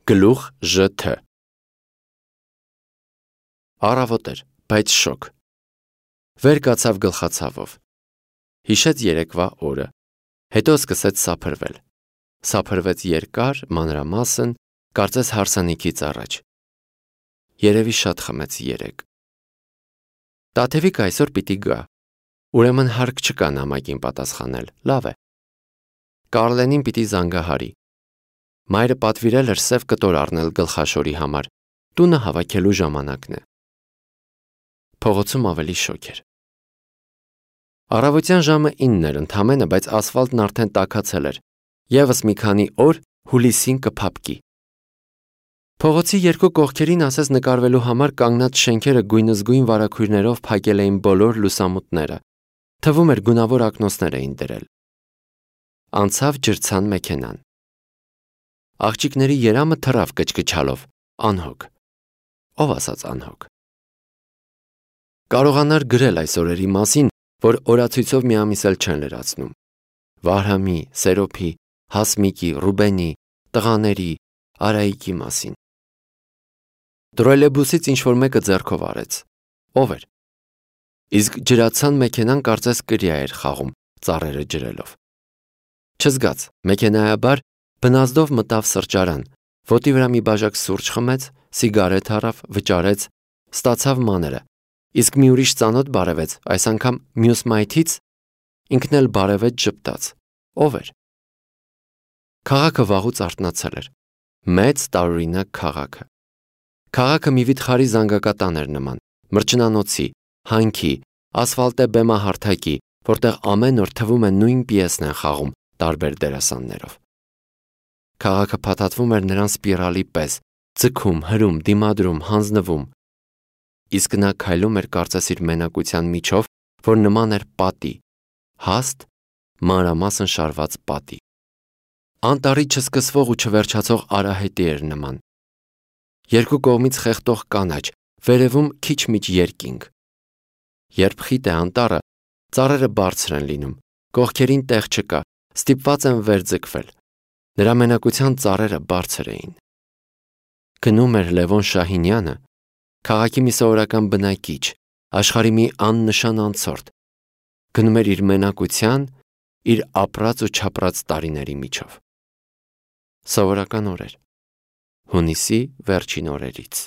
Գլուխ ԺԹ Առավոտ էր, բայց շոկ։ Վեր կացավ գլխացավով։ Հիշեց երեկվա օրը, հետո սկսեց սափրվել։ Սափրվեց երկար, մանրամասն, կարծես հարսանիքից առաջ։ Երևի շատ խմեց երեկ։ Տաթևիկը այսօր պիտի գա, ուրեմն հարկ չկա նամակին պատասխանել, լավ է։ Կարլենին պիտի զանգահարի։ Մայրը պատվիրել էր սև կտոր առնել գլխաշորի համար, տունը հավաքելու ժամանակն է։ Փողոցում ավելի շոգ էր։ Առավոտյան ժամը 9 էր ընդամենը, բայց ասֆալտն արդեն տաքացել էր, ևս մի քանի օր հուլիսին կփափկի։ Փողոցի երկու կողքերին ասես նկարվելու համար կանգնած շենքերը գույնզգույն վարագույրներով փակել էին բոլոր լուսամուտները, թվում էր գունավոր ակնոցներ էին դրել։ Անցավ ջրցան մեքենան։ Աղջիկների երամը թռավ կչկչալով, անհոգ։ Ով ասաց անհոգ։ Կարողանար գրել այս օրերի մասին, որ օրացույցով մի ամիս էլ չեն լրացնում։ Վարհամի, Սերոփի, Հասմիկի, Ռուբենի, տղաների, Արայիկի մասին։ Տրոլեյբուսից ինչ-որ մեկը ձեռքով արեց։ Ով էր։ Իսկ ջրացան մեքենան կարծես կրիա էր խաղում, ծառերը ջրելով։ Չզգաց, մեքենայաբար բնազդով մտավ սրճարան, ոտի վրա մի բաժակ սուրճ խմեց, սիգարետ առավ, վճարեց, ստացավ մանրը, իսկ մի ուրիշ ծանոթ բարևեց, այս անգամ մյուս մայթից, ինքն էլ բարևեց ժպտաց։ Ով էր։ Քաղաքը վաղուց արթնացել էր։ Մեծ տարօրինակ քաղաքը։ Քաղաքը մի վիթխարի զանգակատան էր նման, մրջնանոցի, հանքի, ասֆալտե բեմահարթակի, որտեղ ամեն օր թվում է նույն պիեսն են խաղում տարբեր դերասաններով։ Քաղաքը փաթաթվում էր նրան սպիրալի պես, ձգում, հրում, դիմադրում, հանձնվում։ Իսկ նա քայլում էր կարծես իր մենակության միջով, որ նման էր պատի, հաստ, մանրամասն շարված պատի։ Անտառի չսկսվող ու չվերջացող արահետի էր նման։ Երկու կողմից խեղդող կանաչ, վերևում քիչ-միչ երկինք։ Երբ խիտ է անտառը, ծառերը բարձր են լինում, կողքերին տեղ չկա, ստիպված են վեր ձգվել։ Նրա մենակության ծառերը բարձր էին։ Գնում էր Լևոն Շահինյանը, քաղաքի մի սովորական բնակիչ, աշխարհի մի աննշան անցորդ, գնում էր իր մենակության, իր ապրած ու չապրած տարիների միջով։ Սովորական օրեր, հունիսի վերջին օրերից։